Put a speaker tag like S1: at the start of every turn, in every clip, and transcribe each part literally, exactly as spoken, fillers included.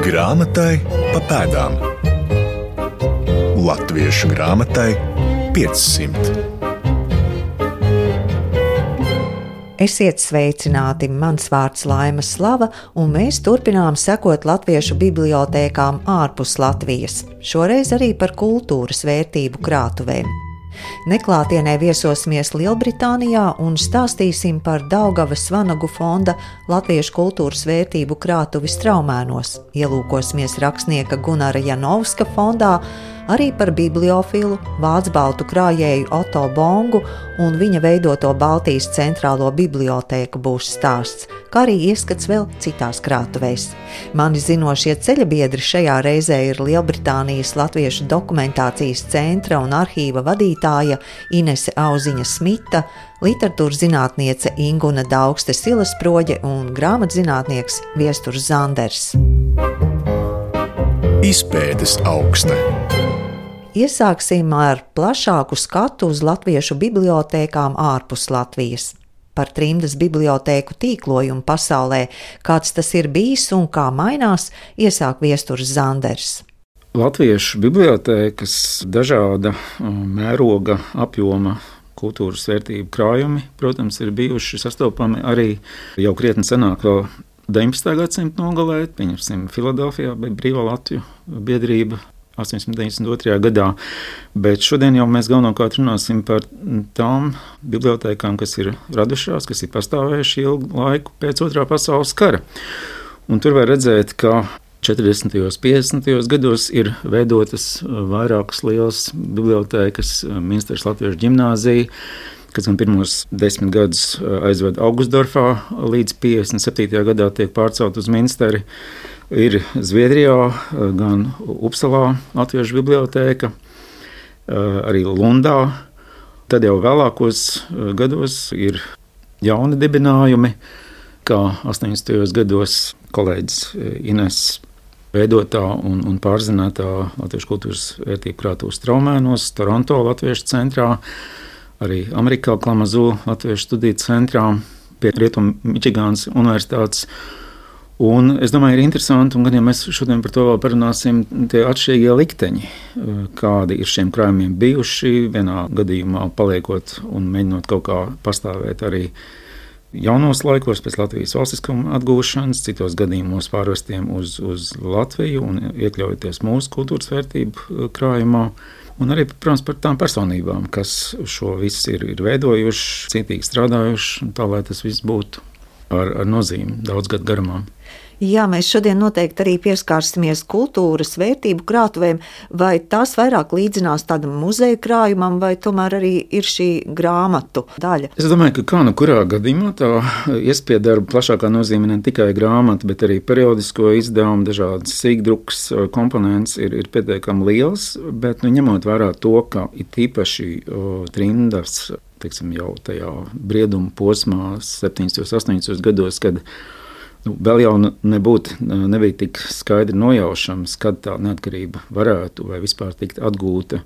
S1: Grāmatai pa pēdām. Latviešu grāmatai piecsimt.
S2: Esiet sveicināti, mans vārds Laima Slava, un mēs turpinām sekot latviešu bibliotēkām ārpus Latvijas, šoreiz arī par kultūras vērtību krātuvēm. Neklātienē viesosimies Lielbritānijā un stāstīsim par Daugavas Vanagu fonda Latviešu kultūras vērtību krātuvi Straumēnos, ielūkosimies rakstnieka Gunara Janovska fondā, arī par bibliofilu, vācbaltu krājēju Oto Bongu un viņa veidoto Baltijas centrālo bibliotēku būs stāsts, kā arī ieskats vēl citās krātuvēs. Mani zinošie ceļabiedri šajā reizē ir Lielbritānijas Latviešu dokumentācijas centra un arhīva vadītāja Inese Auziņa Smita, literatūras zinātniece Inguna Daugste Silasproģe un grāmatzinātnieks Viesturs Zanders.
S1: Izpētes aukste.
S2: Iesāksim ar plašāku skatu uz latviešu bibliotēkām ārpus Latvijas. Par trimdas bibliotēku tīklojumu pasaulē, kāds tas ir bijis un kā mainās, iesāk Viesturs Zanders.
S3: Latviešu bibliotēkas dažāda mēroga apjoma kultūras vērtību krājumi, protams, ir bijuši sastopami arī jau krietni senāk vēl deviņpadsmitā gadsimta nogalē, pieņemsim Filadelfijā, bija Brīvā Latviju biedrība astoņsimt deviņdesmit otrajā gadā, bet šodien jau mēs galvenokārt runāsim par tām bibliotēkām, kas ir radušās, kas ir pastāvējuši ilgu laiku pēc otrā pasaules kara. Un tur var redzēt, ka četrdesmitajos, piecdesmitajos gados ir veidotas vairākas lielas bibliotēkas, Minsteras Latviešu ģimnāzija, kas gan pirmos desmit gadus aizved Augustdorfā, līdz piecdesmit septītajā gadā tiek pārcelt uz Minsteri. Ir Zviedrijā, gan Upsalā Latviešu bibliotēka, arī Lundā. Tad jau vēlākos gados ir jauni dibinājumi, kā astoņdesmitajos gados kolēģis Ines veidotā un, un pārzinātā Latviešu kultūras vērtību krātuve Straumēnos, Toronto Latviešu centrā, arī Amerikā Klamazū Latviešu studiju centrā, pie Rietumu Mičigānas universitātes. Un es domāju, ir interesanti, un gan ja mēs šodien par to vēl parunāsim, tie atšķirīgie likteņi, kādi ir šiem krājumiem bijuši, vienā gadījumā paliekot un mēģinot kaut kā pastāvēt arī jaunos laikos pēc Latvijas valstiskuma atgūšanas, citos gadījumos pārvestiem uz, uz Latviju un iekļaujoties mūsu kultūras vērtību krājumā. Un arī, protams, par tām personībām, kas šo visu ir, ir veidojuši, cītīgi strādājuši, tā lai tas viss būtu ar, ar nozīmi daudz gadu garumā.
S2: Jā, mēs šodien noteikti arī pieskārsimies kultūras vērtību krātuvēm, vai tās vairāk līdzinās tādam muzeja krājumam, vai tomēr arī ir šī grāmatu daļa?
S3: Es domāju, ka kā nu kurā gadījumā tā iespiedarba plašākā nozīme ne tikai grāmata, bet arī periodisko izdevumu, dažādas sīkdrukas komponents ir, ir pietiekami liels, bet nu, ņemot vērā to, ka ir tīpaši o, trimdas, teiksim, jau tajā brieduma posmā septiņdesmitajos, astoņdesmitajos gados, kad Nu, vēl jau nebūtu, nebija tik skaidri nojaušams, kad tā neatkarība varētu vai vispār tikt atgūta.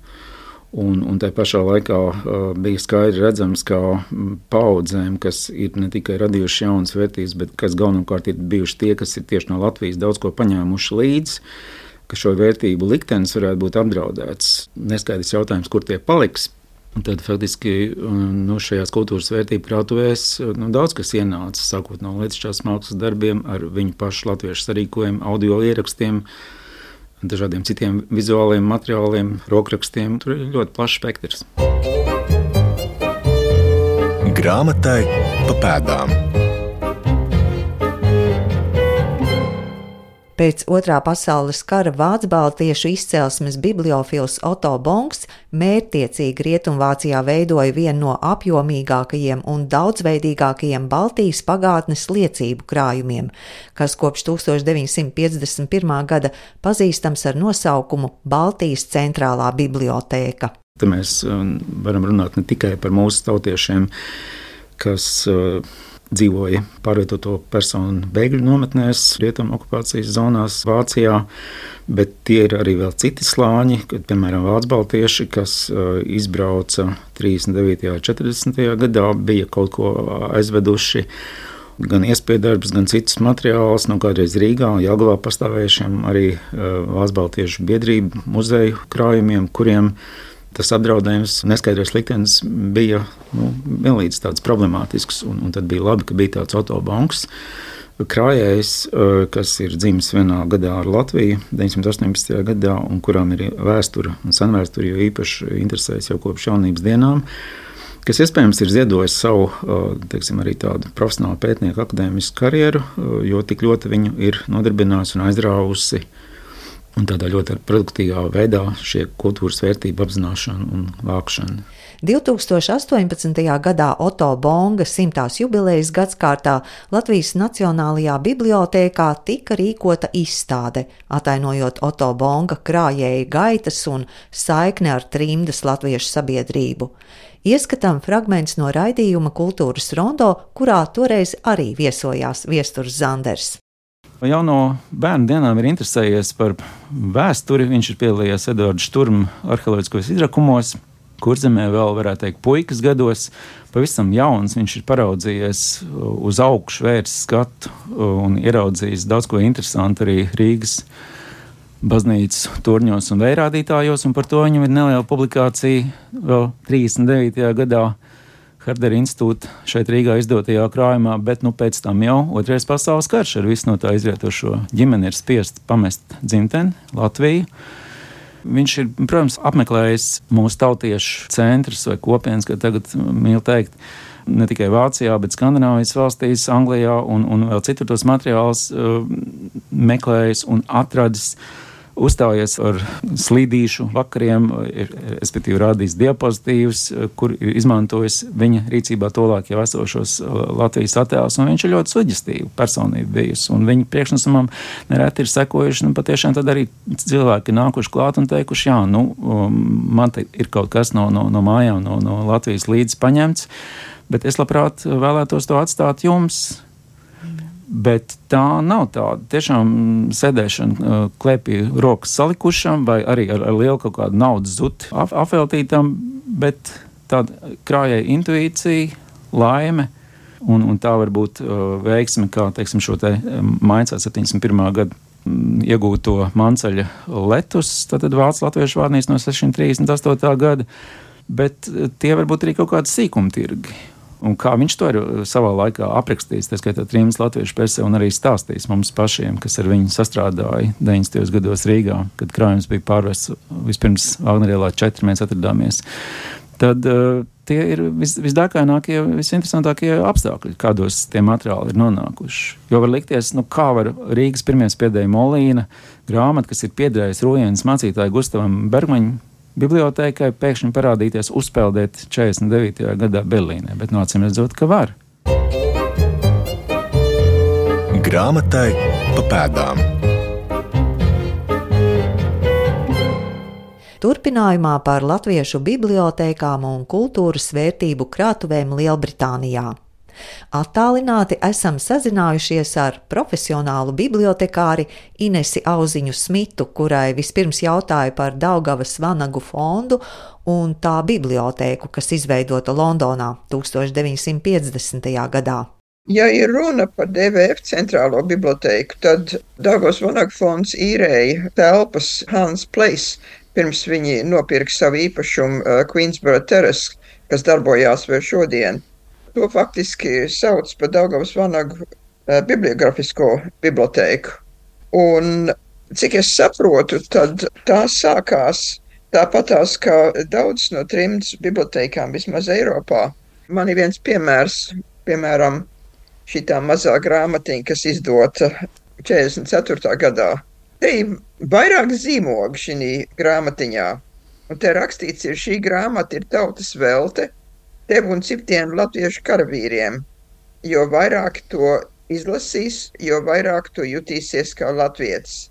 S3: Un, un tā pašā laikā uh, bija skaidri redzams, kā paudzēm, kas ir ne tikai radījuši jaunas vērtības, bet kas galvenokārt ir bijuši tie, kas ir tieši no Latvijas daudz ko paņēmuši līdzi, ka šo vērtību liktenis varētu būt apdraudēts. Neskaidrs jautājums, kur tie paliks. Un tad faktiski nu, šajās kultūras vērtību krātuvēs nu, daudz kas ienāca, sākot no lietišķās mākslas darbiem, ar viņu pašu latviešu sarīkojumu, audio ierakstiem, dažādiem citiem vizuāliem materiāliem, rokrakstiem. Tur ir ļoti plašs spektrs.
S1: Grāmatai pa pēdām.
S2: Pēc otrā pasaules kara vācbaltiešu izcelsmes bibliofils Oto Bongs mērķtiecīgi Rietumvācijā veidoja vienu no apjomīgākajiem un daudzveidīgākajiem Baltijas pagātnes liecību krājumiem, kas kopš tūkstoš deviņsimt piecdesmit pirmā gada pazīstams ar nosaukumu Baltijas centrālā bibliotēka.
S3: Te mēs varam runāt ne tikai par mūsu tautiešiem, kas dzīvoja pārvietoto personu bēgļu nometnēs, rietumu okupācijas zonās Vācijā, bet tie ir arī vēl citi slāņi, kad, piemēram, vācbaltieši, kas uh, izbrauca trīsdesmit devītajā, četrdesmitajā gadā, bija kaut ko aizveduši gan iespējdarbs, gan citus materiālus, no kādreiz Rīgā un Jelgavā pastāvējušiem arī Valsts baltiešu biedrību muzeju krājumiem, kuriem tas apdraudējums, neskaidrs liktenis bija nu, vienlīdz tāds problemātisks, un, un tad bija labi, ka bija tāds Otto Bonks krājējs, kas ir dzimis vienā gadā ar Latviju, deviņsimt astoņpadsmitajā gadā, un kurām ir vēsture un senvēsture, jo īpaši interesējas jau kopš jaunības dienām, kas iespējams ir ziedojis savu, teiksim, arī tādu profesionālu pētnieku akadēmisku karjeru, jo tik ļoti viņu ir nodarbinājusi un aizrāvusi un tādā ļoti produktīvā veidā šie kultūras vērtību apzināšana un vākšana.
S2: divtūkstoš astoņpadsmitajā gadā Otto Bonga simtās jubilejas gadskārtā Latvijas Nacionālajā bibliotēkā tika rīkota izstāde, atainojot Otto Bonga krājēja gaitas un saikni ar trimdas latviešu sabiedrību. Ieskatām fragments no raidījuma Kultūras rondo, kurā toreiz arī viesojās Viesturs Zanders.
S3: Jau no bērnu dienām ir interesējies par vēsturi. Viņš ir piedalījies Edvarda Šturma arheoloģiskos izrakumos, Kurzemē vēl varētu teikt puikas gados. Pavisam jauns viņš ir paraudzījies uz augšu, vērsis skatu un ieraudzījis daudz ko interesantu arī Rīgas baznīcas turņos un vējrādītājos, un par to viņam ir neliela publikācija vēl trīsdesmit devītajā gadā Hardera institūta šeit Rīgā izdotajā krājumā, bet nu pēc tam jau otrais pasaules karš ar visu no tā izrietošo ģimeni ir spiest pamest dzimteni, Latviju. Viņš ir, protams, apmeklējis mūsu tautiešu centrus vai kopienas, kā tagad mīl teikt, ne tikai Vācijā, bet Skandināvijas valstīs, Anglijā un, un vēl citur tos materiālus uh, meklējis un atradis, uzstājies ar slīdīšu vakariem, ir, respektīvi rādījis diapozitīvus, kur ir izmantojis viņa rīcībā tolāk jau esošos Latvijas attēlus, un viņš ir ļoti suģestīva personība bijusi, un viņa priekšnesumam nereti ir sekojuši, nu patiešām tad arī cilvēki nākuši klāt un teikuši, jā, nu, man te ir kaut kas no, no, no mājām, no, no Latvijas līdzi paņemts, bet es labprāt vēlētos to atstāt jums. Bet tā nav tāda tiešām sēdēšana klēpī rokas salikušam vai arī ar, ar lielu kaut kādu naudas zuti ap, apveltītam, bet tāda krājēja intuīcija, laime un, un tā var būt uh, veiksme, kā teiksim šo te Maincā septiņdesmit pirmā gada m, iegūto Manceļa letus, tātad vācu latviešu vārnīca no sešsimt trīsdesmit astotā gada, bet tie var būt arī kaut kādi sīkumtirgi. Un kā viņš to ir savā laikā aprakstījis, tā skaitā trījus latviešu presē un arī stāstījis mums pašiem, kas ar viņu sastrādāja deviņdesmitajos gados Rīgā, kad krājums bija pārvests vispirms Vāgnerielā četri, mēs atradāmies. Tad uh, tie ir vis, visdākainākie, visinteresantākie apstākļi, kādos tie materiāli ir nonākuši. Jo var likties, nu kā var Rīgas pirmie spiedēja Molīna grāmata, kas ir piederējis Rujienas mācītāju Gustavam Bergmaņam bibliotēkai, pēkšņi parādīties, uzpeldēt četrdesmit devītajā gadā Berlīnē, bet no acīm redzot, ka var.
S1: Grāmatai pa pēdām.
S2: Turpinājumā par latviešu bibliotēkām un kultūras vērtību krātuvēm Lielbritānijā. Attālināti esam sazinājušies ar profesionālu bibliotekāri Inesi Auziņu Smitu, kurai vispirms jautāja par Daugavas vanagu fondu un tā bibliotēku, kas izveidota Londonā tūkstoš deviņsimt piecdesmitajā gadā.
S4: Ja ir runa par D V F centrālo bibliotēku, tad Daugavas vanagu fonds īrēja telpas Hans Place, pirms viņi nopirka savu īpašumu uh, Queensborough Terrace, kas darbojās vēl šodien. To faktiski sauc par Daugavas vanagu uh, bibliografisko bibliotēku. Un, cik es saprotu, tad tā sākās tāpatās kā daudz no trimdas bibliotēkām vismaz Eiropā. Man ir viens piemērs, piemēram, šitā mazā grāmatiņa, kas izdota četrdesmit ceturtajā gadā. Te ir vairāk zīmogu šī grāmatiņā. Un te rakstīts ir, šī grāmata ir tautas velte tev un citiem latviešu karavīriem. Jo vairāk to izlasīs, jo vairāk to jutīsies kā latvietis.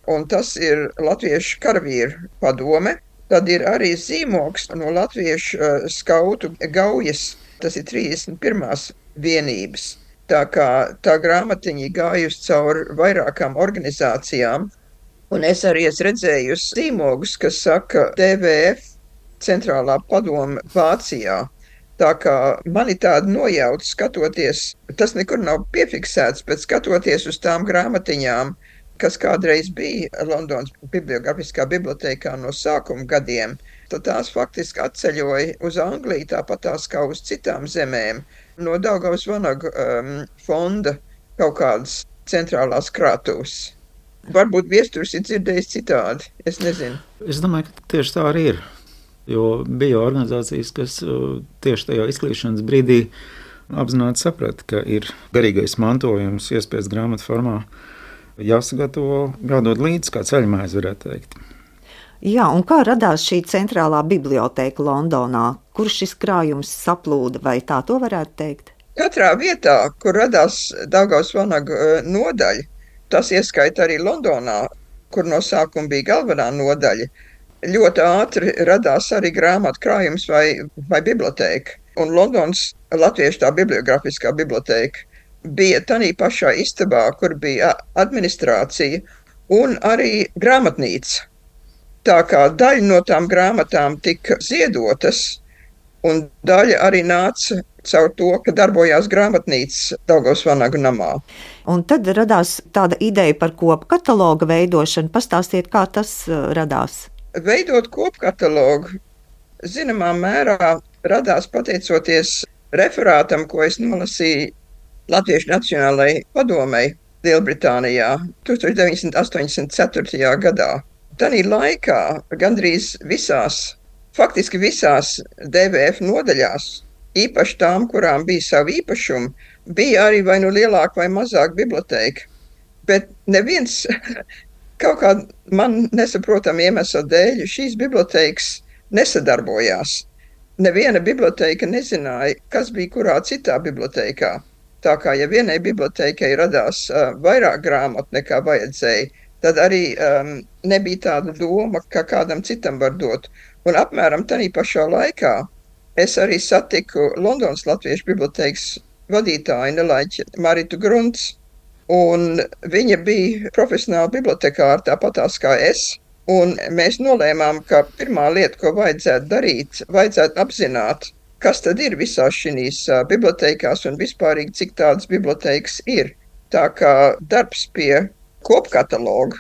S4: Un tas ir latviešu karavīru padome. Tad ir arī zīmogs no latviešu uh, skautu gaujas. Tas ir trīsdesmit pirmās vienības. Tā kā tā grāmatiņa gājusi cauri vairākām organizācijām. Un es arī esmu redzējusi zīmogus, kas saka D V F centrālā padome Vācijā. Tā kā man ir tāda nojauta skatoties, tas nekur nav piefiksēts, bet skatoties uz tām grāmatiņām, kas kādreiz bija Londonas bibliogrāfiskā bibliotēkā no sākuma gadiem, tad tās faktiski atceļoja uz Angliju, tāpat tās kā uz citām zemēm, no Daugavas Vanagu um, fonda kaut kādas centrālās krātuves. Varbūt viesturs ir dzirdējis citādi, es nezinu.
S3: Es domāju, ka tieši tā arī ir, jo bija organizācijas, kas tieši tajā izklīšanas brīdī apzināti saprata, ka ir garīgais mantojums iespējas grāmatu formā jāsagatavo, jādod līdzi, kā ceļmaize varētu teikt.
S2: Jā, un kā radās šī centrālā bibliotēka Londonā? Kur šis krājums saplūda, vai tā to varētu teikt?
S4: Katrā vietā, kur radās Daugavas Vanagu nodaļa, tas ieskaita arī Londonā, kur no sākuma bija galvenā nodaļa, ļoti ātri radās arī grāmatu krājums vai, vai bibliotēka. Un Londonas latviešu tā bibliogrāfiskā bibliotēka bija tanī pašā istabā, kur bija administrācija un arī grāmatnīca. Tā kā daļa no tām grāmatām tika ziedotas, un daļa arī nāca caur to, ka darbojās grāmatnīca Daugavas Vanagu namā.
S2: Un tad radās tāda ideja par kopkataloga veidošanu. Pastāstiet, kā tas radās?
S4: Veidot kopkatalogu, zināmā mērā radās pateicoties referātam, ko es nolasīju Latviešu Nacionālajai padomei Lielbritānijā tūkstoš deviņsimt astoņdesmit ceturtajā gadā. Tanī laikā gandrīz visās, faktiski visās D V F nodaļās, īpaši tām, kurām bija savi īpašumi, bija arī vai nu lielāka vai mazāka bibliotēka. Bet neviens kaut kā man nesaprotam iemesla dēļ šīs bibliotēkas nesadarbojās. Neviena bibliotēka nezināja, kas bija kurā citā bibliotēkā. Tā kā ja vienai bibliotēkai radās uh, vairāk grāmatu nekā vajadzēja, tad arī um, nebija tāda doma, ka kādam citam var dot. Un apmēram tanī pašā laikā es arī satiku Londonas Latviešu bibliotēkas vadītāju Nelaiķi Maritu Grunts, un viņa bija profesionāla bibliotekāra tāpatās kā es, un mēs nolēmām, ka pirmā lieta, ko vajadzētu darīt, vajadzētu apzināt, kas tad ir visās šīs bibliotēkās un vispārīgi, cik tādas bibliotēkas ir. Tā kā darbs pie kopkataloga,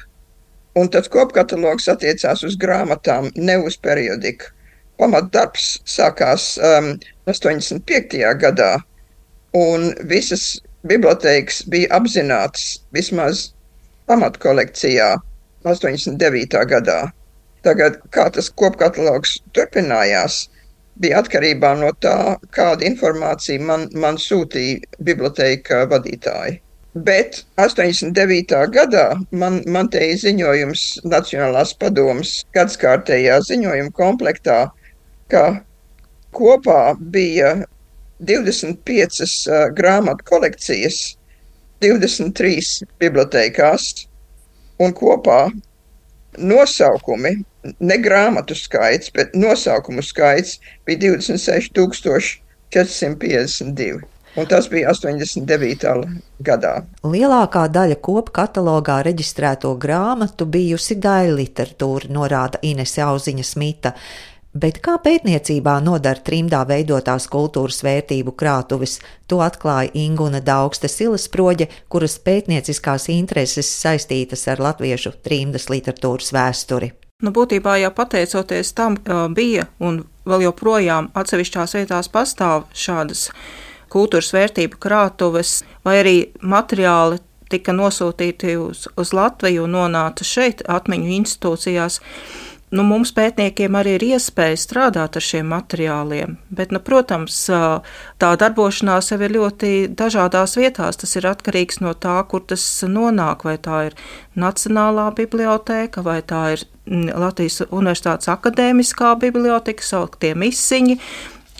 S4: un tad kopkatalogs attiecās uz grāmatām, ne uz periodiku. Pamatdarbs sākās um, astoņdesmit piektajā gadā, un visas bibliotēkas bija apzinātas vismaz pamatkolekcijā astoņdesmit devītajā gadā. Tagad, kā tas kopkatalogs turpinājās, bija atkarībā no tā, kāda informācija man, man sūtīja bibliotēka vadītāji. Bet astoņdesmit devītajā gadā man, man te ir ziņojums Nacionālās padomes gadskārtējā ziņojuma komplektā, ka kopā bija divdesmit piecas uh, grāmatu kolekcijas, divdesmit trīs bibliotēkās, un kopā nosaukumi, ne grāmatu skaits, bet nosaukumu skaits bija divdesmit seši tūkstoši četri simt piecdesmit divi. Un tas bija astoņdesmit devītajā gadā.
S2: Lielākā daļa kopu katalogā reģistrēto grāmatu bijusi daļa literatūra, norāda Inese Auziņa Smita. Bet kā pētniecībā nodara trimdā veidotās kultūras vērtību krātuves, to atklāja Inguna Daugste Silasproģe, kuras pētnieciskās intereses saistītas ar latviešu trimdas literatūras vēsturi.
S5: Nu, būtībā jau pateicoties tam, bija un vēl joprojām atsevišķās vietās pastāv šādas kultūras vērtību krātuves, vai arī materiāli tika nosūtīti uz, uz Latviju un nonāca šeit atmiņu institūcijās. Nu, mums pētniekiem arī ir iespēja strādāt ar šiem materiāliem, bet, nu, protams, tā darbošanās jau ir ļoti dažādās vietās. Tas ir atkarīgs no tā, kur tas nonāk, vai tā ir Nacionālā bibliotēka, vai tā ir Latvijas Universitātes akadēmiskā biblioteka, sauktie misiņi,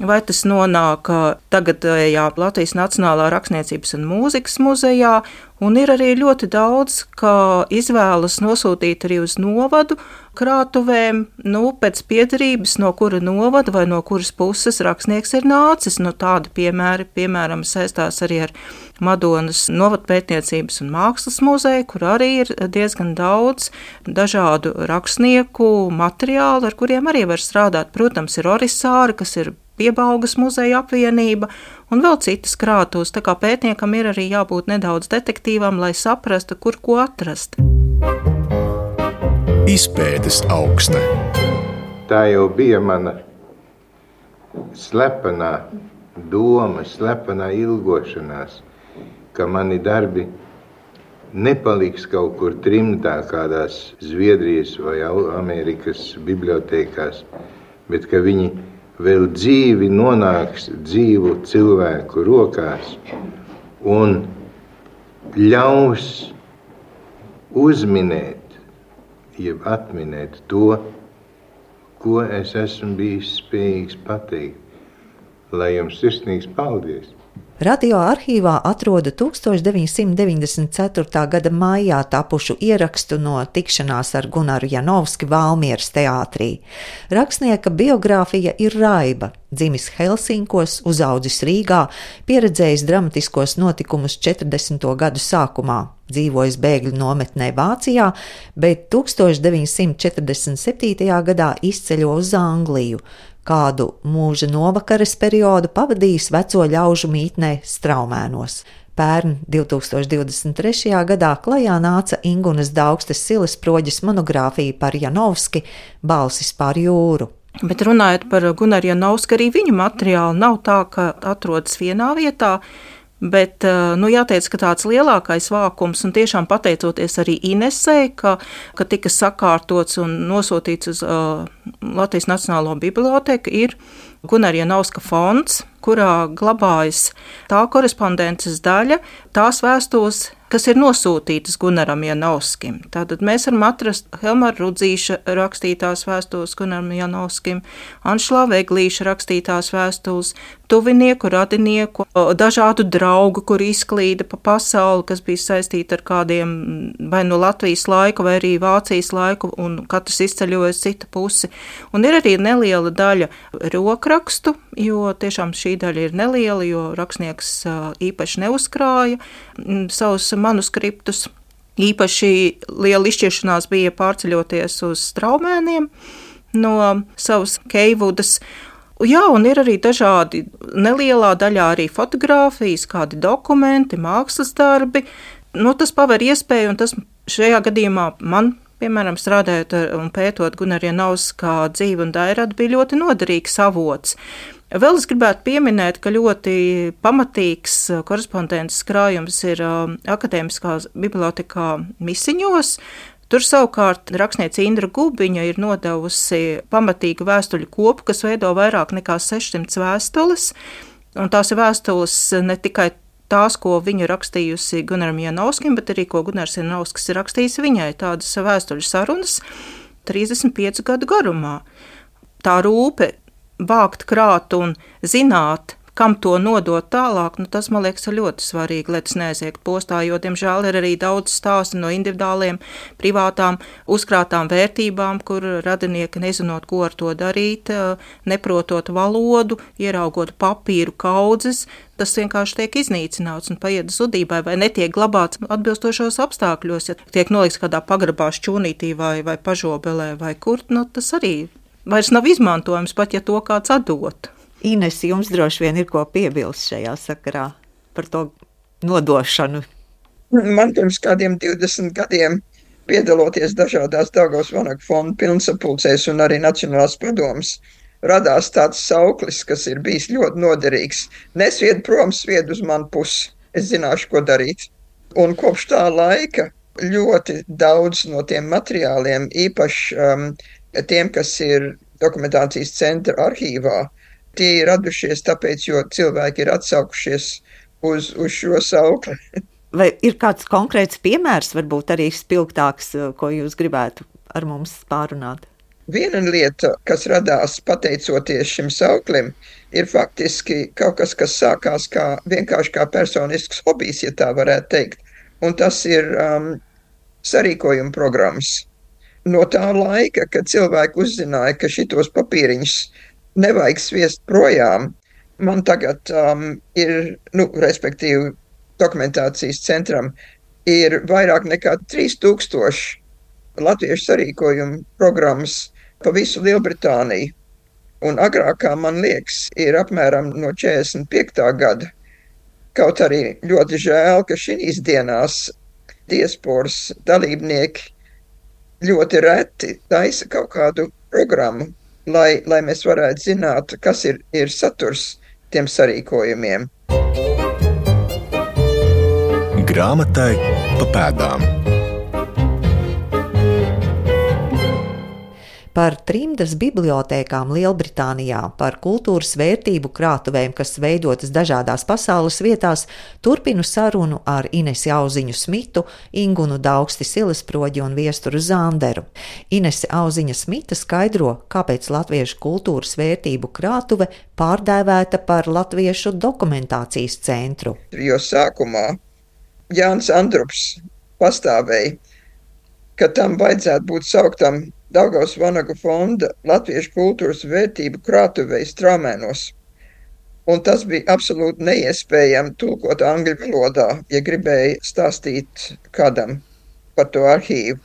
S5: vai tas nonāk tagadējā Latvijas Nacionālā rakstniecības un mūzikas muzejā, un ir arī ļoti daudz, ka izvēlas nosūtīt arī uz novadu krātuvēm, nu, pēc piederības, no kura novada vai no kuras puses rakstnieks ir nācis. Nu, tādi piemēri, piemēram, saistās arī ar Madonas novadpētniecības un mākslas muzeju, kur arī ir diezgan daudz dažādu rakstnieku materiālu, ar kuriem arī var strādāt. Protams, ir orisāri, kas ir Piebaugas muzeja apvienība un vēl citas krātuves. Tā kā pētniekam ir arī jābūt nedaudz detektīvam, lai saprastu, kur ko atrast.
S1: Izpētes aukste.
S6: Tā jau bija mana slepenā doma, slepenā ilgošanās, ka mani darbi nepaliks kaut kur trimdā kādās Zviedrijas vai Amerikas bibliotēkās, bet ka viņi vēl dzīvi nonāks dzīvu cilvēku rokās un ļaus uzminēt, jeb atminēt to, ko es esmu bijis spējīgs pateikt. Lai jums sirsnīgs paldies!
S2: Radio arhīvā atrodu tūkstoš deviņsimt deviņdesmit ceturtā gada maijā tapušu ierakstu no tikšanās ar Gunaru Janovski Valmieras teātrī. Rakstnieka biogrāfija ir raiba. Dzimis Helsinkos, uzaudzis Rīgā, pieredzējis dramatiskos notikumus četrdesmito gadu sākumā, dzīvojis bēgļu nometnē Vācijā, bet tūkstoš deviņsimt četrdesmit septītajā gadā izceļo uz Angliju, kādu mūža novakares periodu pavadījis veco ļaužu mītnē Straumēnos. Pērn divtūkstoš divdesmit trešajā gadā klajā nāca Ingunas Daugstes Silesproģes monogrāfija par Janovski Balsis pār jūru.
S5: Bet runājot par Gunaru Janovski, arī viņa materiāli nav tā, ka atrodas vienā vietā, bet nu, jāteic, ka tāds lielākais vākums, un tiešām pateicoties arī Inesei, ka, ka tika sakārtots un nosūtīts uz uh, Latvijas Nacionālo bibliotēku, ir Gunara Janovska fonds, kurā glabājas tā korespondences daļa, tās vēstules, kas ir nosūtītas Gunaram Janovskim. Tātad mēs varam atrast Helmara Rudzīša rakstītās vēstules Gunaram Janovskim, Anšlā Veglīša rakstītās vēstules, tuvinieku, radinieku, dažādu draugu, kur izklīda pa pasauli, kas bija saistīti ar kādiem vai no Latvijas laiku, vai arī Vācijas laiku, un katrs izceļojas citu pusi. Un ir arī neliela daļa rokrakstu, jo tiešām šī daļa ir neliela, jo rakstnieks īpaši neuzkrāja savus manuskriptus. Īpaši liela izšķiršanās bija pārceļoties uz Straumēniem no savas Keivudas. Jā, un ir arī dažādi nelielā daļā arī fotogrāfijas, kādi dokumenti, mākslas darbi. Nu, tas paver iespēju, un tas šajā gadījumā man, piemēram, strādājot un pētot Gunara Janovska dzīvi un dairadu, bija ļoti noderīgs avots. Vēl es gribētu pieminēt, ka ļoti pamatīgs korespondences krājums ir Akadēmiskā bibliotekā Misiņos. Tur savukārt rakstniece Indra Gubiņa ir nodevusi pamatīgu vēstuļu kopu, kas veido vairāk nekā sešsimt vēstules, un tās ir vēstules ne tikai tās, ko viņa rakstījusi Gunaram Janovskim, bet arī, ko Gunars Janovskis ir rakstījis viņai, tādas vēstuļu sarunas trīsdesmit piecu gadu garumā. Tā rūpe vākt, krāt un zināt, kam to nodot tālāk, nu tas, man liekas, ir ļoti svarīgi, lai tas neaiziet postā, jo, diemžēl, ir arī daudz stāstu no individuāliem, privātām, uzkrātām vērtībām, kur radinieki nezinot, ko ar to darīt, neprotot valodu, ieraugot papīru kaudzes, tas vienkārši tiek iznīcināts un paiet zudībai vai netiek glabāts atbilstošos apstākļos, ja tiek nolikts kādā pagrabā šķūnītī vai, vai pažobelē vai kur, nu tas arī vairs nav izmantojams, pat ja to kāds atdot.
S2: Ines, jums droši vien ir ko piebilst šajā sakarā par to nodošanu.
S4: Man pirms kādiem divdesmit gadiem, piedaloties dažādās Daugavas Vanagu fonda pilnsapulcēs un arī Nacionālās padomes, radās tāds sauklis, kas ir bijis ļoti noderīgs. Nesvied prom, svied uz manu pusi. Es zināšu, ko darīt. Un kopš tā laika ļoti daudz no tiem materiāliem, īpaši um, tiem, kas ir dokumentācijas centra arhīvā, tie ir radušies tāpēc, jo cilvēki ir atsaukušies uz, uz šo saukli.
S2: Vai ir kāds konkrēts piemērs, varbūt arī spilgtāks, ko jūs gribētu ar mums pārunāt?
S4: Viena lieta, kas radās pateicoties šim sauklim, ir faktiski kaut kas, kas sākās kā, vienkārši kā personisks hobijs, ja tā varētu teikt. Un tas ir um, sarīkojuma programmas. No tā laika, kad cilvēki uzzināja, ka šitos papīriņus nevajag sviest projām, man tagad um, ir, nu, respektīvi, dokumentācijas centram ir vairāk nekā trīs tūkstoši latviešu sarīkojumu programmas pa visu Lielbritāniju. Un agrākā, man liekas, ir apmēram no četrdesmit piektā gada. Kaut arī ļoti žēl, ka šīs dienās diasporas dalībnieki ļoti reti taisa kaut kādu programmu, lai, lai mēs varētu zināt, kas ir, ir saturs tiem sarīkojumiem.
S1: Grāmatai pa pēdām.
S2: Par trimdas bibliotēkām Lielbritānijā, par kultūras vērtību krātuvēm, kas veidotas dažādās pasaules vietās, turpinu sarunu ar Inesi Auziņu Smitu, Ingunu Daugsti Silesproģi un Viesturu Zanderu. Inese Auziņa Smita skaidro, kāpēc latviešu kultūras vērtību krātuve pārdēvēta par Latviešu dokumentācijas centru.
S4: Jo sākumā Jānis Andrups pastāvēja, ka tam vajadzētu būt sauktam Daugavas Vanagu fonda Latviešu kultūras vērtību krātuvei Straumēnos. Un tas bija absolūti neiespējami tulkot angļu valodā, ja gribēja stāstīt kādam par to arhīvu.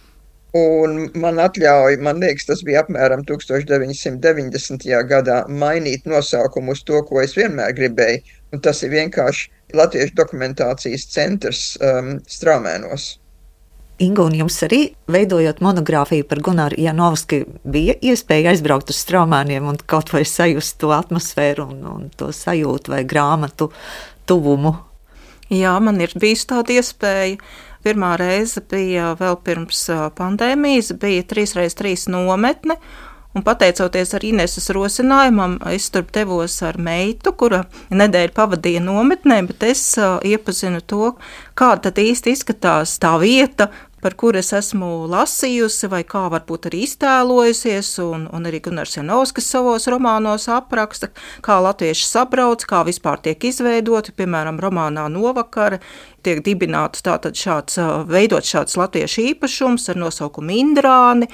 S4: Un man atļauja, man liekas, tas bija apmēram tūkstoš deviņi simti deviņdesmitajā gadā, mainīt nosaukumu uz to, ko es vienmēr gribēju. Un tas ir vienkārši Latviešu dokumentācijas centrs um, Straumēnos.
S2: Inga, un jums arī, veidojot monogrāfiju par Gunāru Janovski, bija iespēja aizbraukt uz Straumēniem un kaut vai sajust to atmosfēru un, un to sajūtu vai grāmatu tuvumu?
S5: Jā, man ir bijis tāda iespēja. Pirmā reize bija vēl pirms pandēmijas, bija trīs reiz trīs nometne, un pateicoties ar Ineses rosinājumam, es tur devos ar meitu, kura nedēļu pavadīja nometnē, bet es uh, iepazinu to, kā tad īsti izskatās tā vieta, par kuru es esmu lasījusi, vai kā varbūt arī iztēlojusies, un, un arī Gunārs Janovskis savos romānos apraksta, kā latvieši sabrauc, kā vispār tiek izveidoti, piemēram, romānā Novakare, tiek dibināts tātad šāds, veidot šāds latviešu īpašums ar nosaukumu Indrāni,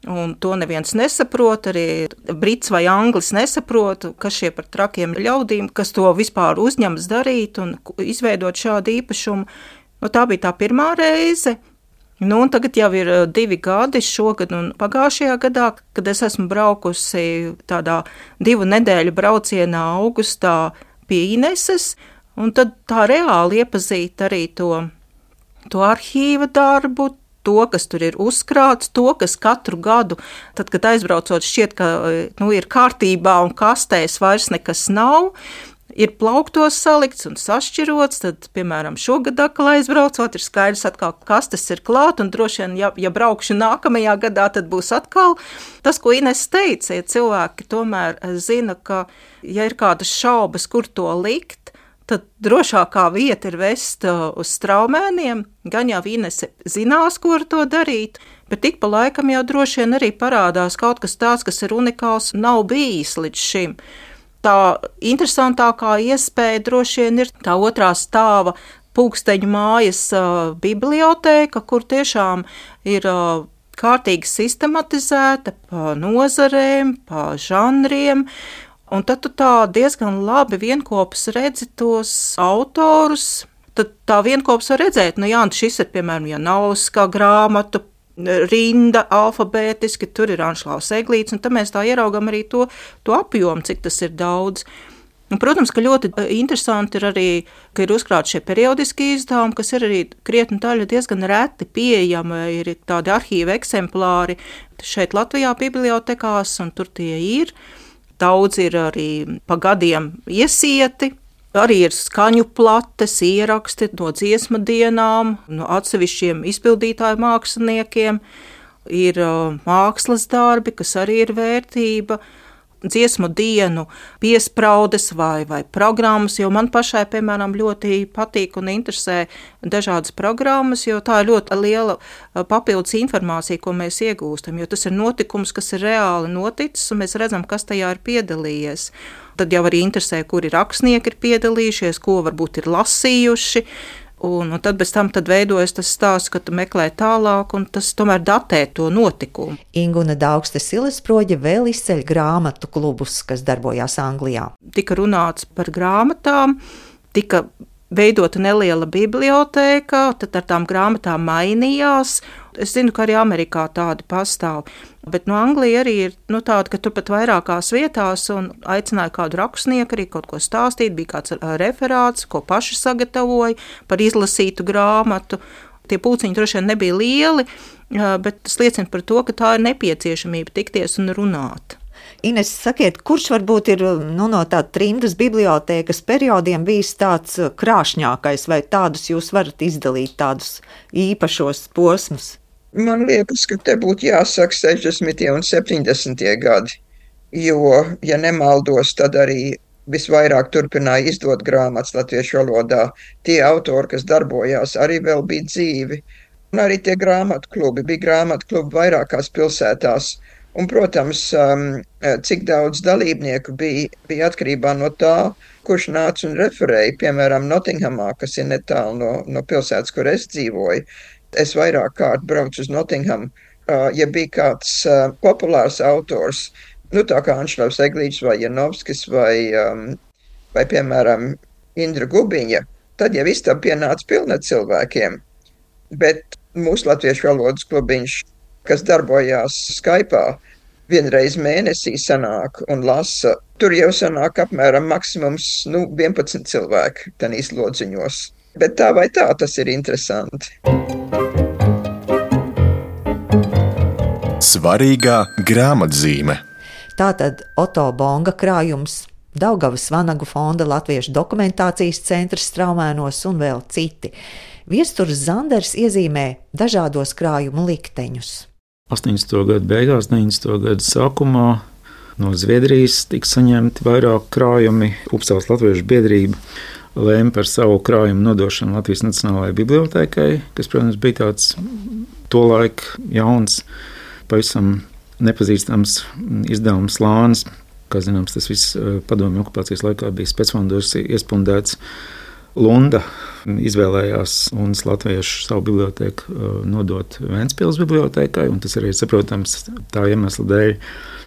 S5: un to neviens nesaprot, arī brits vai anglis nesaprot, kas šie par trakiem ļaudīm, kas to vispār uzņemas darīt un izveidot šādu īpašumu. Nu, tā bija tā pirmā reize. Nu, un tagad jau ir divi gadi, šogad un pagājušajā gadā, kad es esmu braukusi tādā divu nedēļu braucienā augustā pie Ineses, un tad tā reāli iepazīt arī to, to arhīva darbu, to, kas tur ir uzkrāts, to, kas katru gadu, tad, kad aizbraucot šķiet, ka nu, ir kārtībā un kastēs vairs nekas nav, ir plauktos salikts un sašķirots, tad, piemēram, šogad atkal aizbraucot, ir skaidrs atkal, kas tas ir klāt, un droši vien, ja, ja braukšu nākamajā gadā, tad būs atkal tas, ko Ines teica, ja cilvēki tomēr zina, ka, ja ir kādas šaubas, kur to likt, tad drošākā vieta ir vest uz Straumēniem, gan jau Inese zinās, ko ar to darīt, bet tik pa laikam jau droši vien arī parādās kaut kas tāds, kas ir unikāls, nav bijis līdz šim. Tā interesantākā iespēja droši vien ir tā otrā stāva Pulksteņu mājas uh, bibliotēka, kur tiešām ir uh, kārtīgi sistematizēta pa nozarēm, pa žanriem, un tad tu tā diezgan labi vienkopus redzi tos autorus, tad tā vienkopus var redzēt, nu jā, šis ir, piemēram, Janovska grāmatu, rinda alfabētiski, tur ir Anšlaus Eglīts, un tad mēs tā ieraugam arī to, to apjomu, cik tas ir daudz. Un, protams, ka ļoti interesanti ir arī, ka ir uzkrāti šie periodiski izdevumi, kas ir arī krietni daļa diezgan reti pieejama, ir tādi arhīva eksemplāri šeit Latvijā bibliotekās, un tur tie ir. Daudz ir arī pa gadiem iesieti. Arī ir skaņu plates, ieraksti no dziesmu dienām, no atsevišķiem izpildītāju māksliniekiem, ir uh, mākslas darbi, kas arī ir vērtība, dziesmu dienu piespraudes vai, vai programmas, jo man pašai, piemēram, ļoti patīk un interesē dažādas programmas, jo tā ir ļoti liela papildus informācija, ko mēs iegūstam, jo tas ir notikums, kas ir reāli noticis, un mēs redzam, kas tajā ir piedalījies. Tad jau arī interesē, kuri rakstnieki ir piedalījušies, ko varbūt ir lasījuši, un, un tad bez tam tad veidojas tas stāsts, ka tu meklē tālāk, un tas tomēr datē to notikumu.
S2: Inguna Daugste Silesproģe vēl izceļ grāmatu klubus, kas darbojās Anglijā.
S5: Tika runāts par grāmatām, tika veidota neliela bibliotēka, tad ar tām grāmatām mainījās. Es zinu, ka arī Amerikā tādi pastāv, bet no Anglija arī ir nu, tāda, ka turpat vairākās vietās un aicināja kādu rakstnieku arī kaut ko stāstīt, bija kāds referāts, ko paši sagatavoja par izlasītu grāmatu. Tie pulciņi droši vien nebija lieli, bet tas liecina par to, ka tā ir nepieciešamība tikties un runāt.
S2: Ines, sakiet, kurš varbūt ir nu, no tāda trimdas bibliotēkas periodiem bijis tāds krāšņākais, vai tādus jūs varat izdalīt, tādus īpašos posmus?
S4: Man liekas, ka te būtu jāsaka sešdesmitie un septiņdesmitie gadi, jo, ja nemaldos, tad arī visvairāk turpināja izdot grāmatas latviešu valodā. Tie autori, kas darbojās, arī vēl bija dzīvi. Un arī tie grāmatu klubi, bija grāmatu klubi vairākās pilsētās. Un, protams, cik daudz dalībnieku bija, bija atkarībā no tā, kurš nāca un referēja. Piemēram, Nottinghamā, kas ir netālu no, no pilsētas, kur es dzīvoju. Es vairāk kārt braucu uz Nottinghamu. Ja bija kāds populārs autors, nu tā kā Anšlavs Eglītis vai Janovskis vai, vai, piemēram, Indra Gubiņa, tad jau istaba pienāca pilna cilvēkiem. Bet mūsu latviešu valodas klubiņš, kas darbojās Skype'ā, vienreiz mēnesī sanāk un lasa. Tur jau sanāk apmēram maksimums nu, vienpadsmit cilvēki tanīs lodziņos. Bet tā vai tā, tas ir interesanti.
S1: Svarīgā grāmatzīme.
S2: Tātad Oto Bonga krājums, Daugavas Vanagu fonda Latviešu dokumentācijas centrs Straumēnos un vēl citi. Viesturs Zanders iezīmē dažādos krājumu likteņus.
S3: astoņdesmito gadu beigās, deviņdesmito gadu sākumā no Zviedrijas tika saņemti vairāk krājumi. Upsales Latviešu biedrība lēma par savu krājumu nodošanu Latvijas Nacionālajai bibliotēkai, kas, protams, bija tāds tolaik jauns, pavisam nepazīstams izdevums Lānis. Kā zināms, tas viss padomju okupācijas laikā bija specfondos iespundēts. Lunda izvēlējās Lundas latviešu savu bibliotēku nodot Ventspils bibliotēkai, un tas arī ir saprotams tā iemesla dēļ,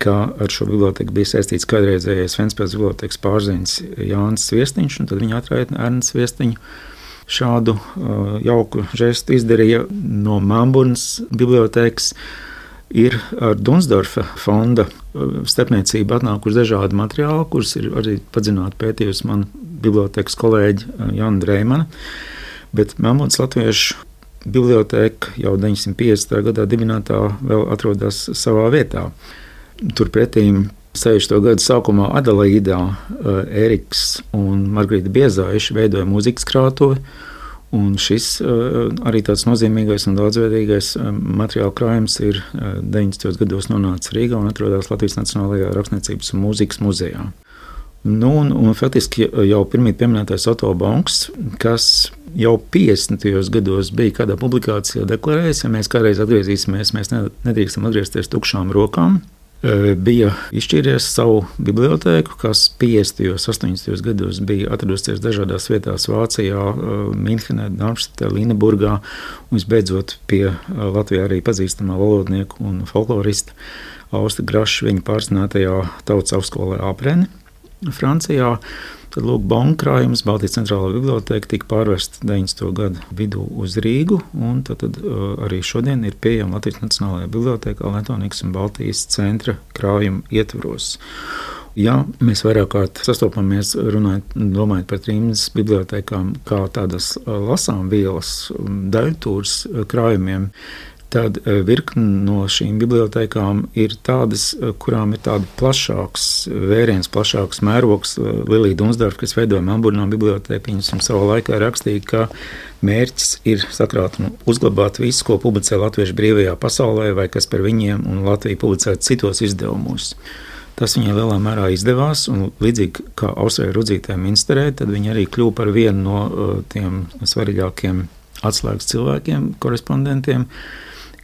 S3: ka ar šo bibliotēku bija saistīts kādreizējais Ventspils bibliotēkas pārziņš Jānis Sviestiņš, un tad viņa atraitne Ernsts Sviestiņu šādu uh, jauku žestu izdarīja. No Mamburnas bibliotēkas ir ar Dunsdorfa fonda starpniecību atnākuši dažādi materiāli, kurus ir arī padziļināti pētījusi mana bibliotēkas kolēģe Jana Dreimana. Bet Mamburnas latviešu bibliotēka jau deviņdesmit piectajā gadā dibinātā vēl atrodas savā vietā. Turpretīm sešdesmito gadu sākumā Adelaīdā Ēriks un Margarita Biezāiši veidoja mūzikas krātuvi. Un šis arī tāds nozīmīgais un daudzveidīgais materiāla krājums ir deviņdesmitajos gados nonācis Rīgā un atrodas Latvijas Nacionālajā rakstniecības un mūzikas muzejā. Nu, un, un faktiski jau pirmīt pieminētais Oto Bongs, kas jau piecdesmitajos gados bija kādā publikācijā deklarējis, ja mēs kādreiz atgriezīsimies, mēs nedrīkstam atgriezties tukšām rokām. Bija izšķīries savu bibliotēku, kas piecdesmitajos, astoņdesmitajos gados bija atradusies dažādās vietās Vācijā, Minhenē, Darmštatē, Līneburgā, un visbeidzot pie Latvijā arī pazīstamā valodnieku un folklorista Austa Graša viņa pārzinātajā tautas augstskolē Apreni Francijā. Tad lūk, Bonga krājums, Baltijas centrālā bibliotēka tika pārvērsta deviņdesmito gadu vidū uz Rīgu, un tad, tad uh, arī šodien ir pieejama Latvijas Nacionālajā bibliotēkā Letonijas un Baltijas centra krājuma ietvaros. Ja mēs vairāk kārt sastopamies runājot, domājot par trimdas bibliotēkām kā tādas lasām vielas daļtūras krājumiem, tad virkni no šīm bibliotēkām ir tādas, kurām ir tāda plašāks vēriens, plašāks mērogs. Lilija Dunsdorfa, kas veidoja Melburnā bibliotēku, viņas savā laikā rakstīja, ka mērķis ir sakrāt un uzglabāt visu, ko publicē Latviešu brīvajā pasaulē, vai kas par viņiem un Latviju publicēt citos izdevumos. Tas viņai lielā mērā izdevās, un līdzīgi kā Austrai Rudzītē Minsterē, tad viņa arī kļuva par vienu no tiem svarīgākiem atslēgas cilvēkiem, korespondentiem,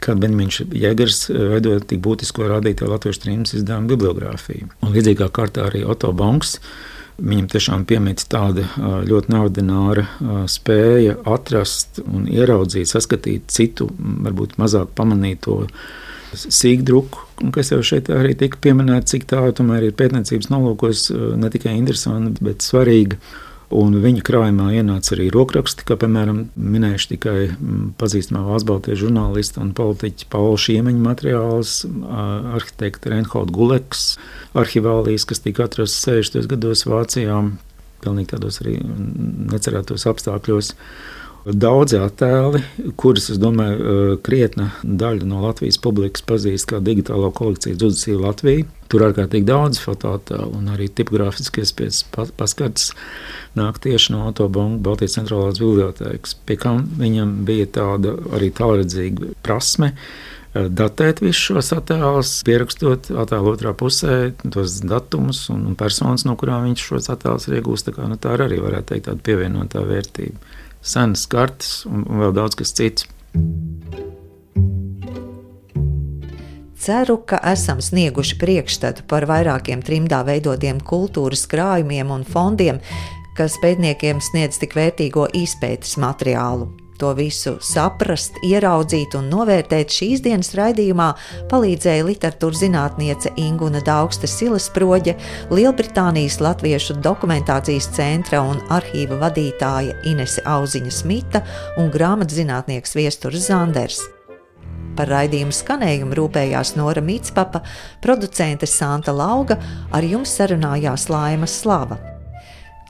S3: kad Benjamins Jēgers veidoja tik būtisko rādītāju latviešu trimdas izdevumu bibliogrāfiju. Un līdzīgā kārtā arī Oto Bongs, viņam tiešām piemīt tāda ļoti neordināra spēja atrast un ieraudzīt, saskatīt citu, varbūt mazāk pamanīto sīkdruku, kas jau šeit arī tika pieminēta, cik tā tomēr ir pētniecības nolūkos ne tikai interesanti, bet svarīga. Un viņa krājumā ienāca arī rokraksti, kā piemēram minējuši tikai pazīstamā valsts baltiešu žurnālista un politiķa Paula Šiemeņa materiāls, arhitekta Reinholda Guleks arhivālijas, kas tika atrasts sešdesmitajos gados Vācijā, pilnīgi tādos arī necerētos apstākļos. Daudzi attēli, kurus, es domāju, krietna daļa no Latvijas publikas pazīst kā digitālo kolekciju Dzudusīja Latvija. Tur ārkārtīgi daudz fotoattēlu un arī tipogrāfiskies paskarts nāk tieši no Otto Bonga Baltijas centrālās bibliotēkas, pie kam viņam bija tāda arī tālredzīga prasme datēt visus šos attēlus, pierakstot attēlu otrā pusē tos datumus un personas, no kurām viņš šos attēlus ir iegūst. Tā kā, nu, tā arī varētu teikt tāda pievienotā vērtība. Senas kartes un vēl daudz kas cits.
S2: Ceru, ka esam snieguši priekšstatu par vairākiem trimdā veidotiem kultūras krājumiem un fondiem, kas pētniekiem sniedz tik vērtīgo izpētes materiālu. To visu saprast, ieraudzīt un novērtēt šīs dienas raidījumā palīdzēja literatūras zinātniece Inguna Daugste-Silesproģe, Lielbritānijas Latviešu dokumentācijas centra un arhīva vadītāja Inese Auziņa-Smita un grāmatzinātnieks Viesturs Zanders. Par raidījumu skanējumu rūpējās Nora Mītspapa, producente Santa Lauga, ar jums sarunājās Laima Slava.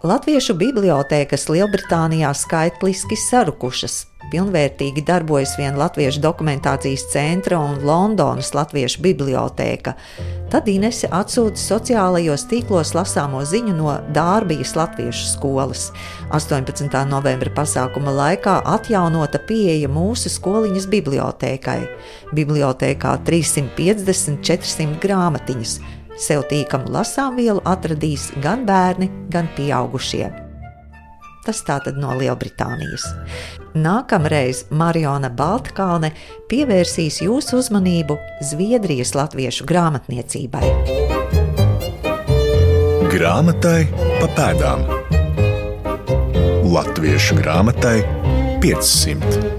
S2: Latviešu bibliotēkas Lielbritānijā skaitliski sarukušas. Pilnvērtīgi darbojas vien Latviešu dokumentācijas centra un Londonas Latviešu bibliotēka. Tad Inese atsūta sociālajos tīklos lasāmo ziņu no Dārbijas Latviešu skolas. astoņpadsmitā novembra pasākuma laikā atjaunota pieeja mūsu skoliņas bibliotēkai. Bibliotēkā trīssimt piecdesmit četrsimt grāmatiņas. Sev tīkamu lasāmvielu atradīs gan bērni, gan pieaugušie. Tas tātad no Lielbritānijas. Nākamreiz Mariona Baltkalne pievērsīs jūsu uzmanību Zviedrijas latviešu grāmatniecībai.
S1: Grāmatai pa pēdām. Latviešu grāmatai piecsimt.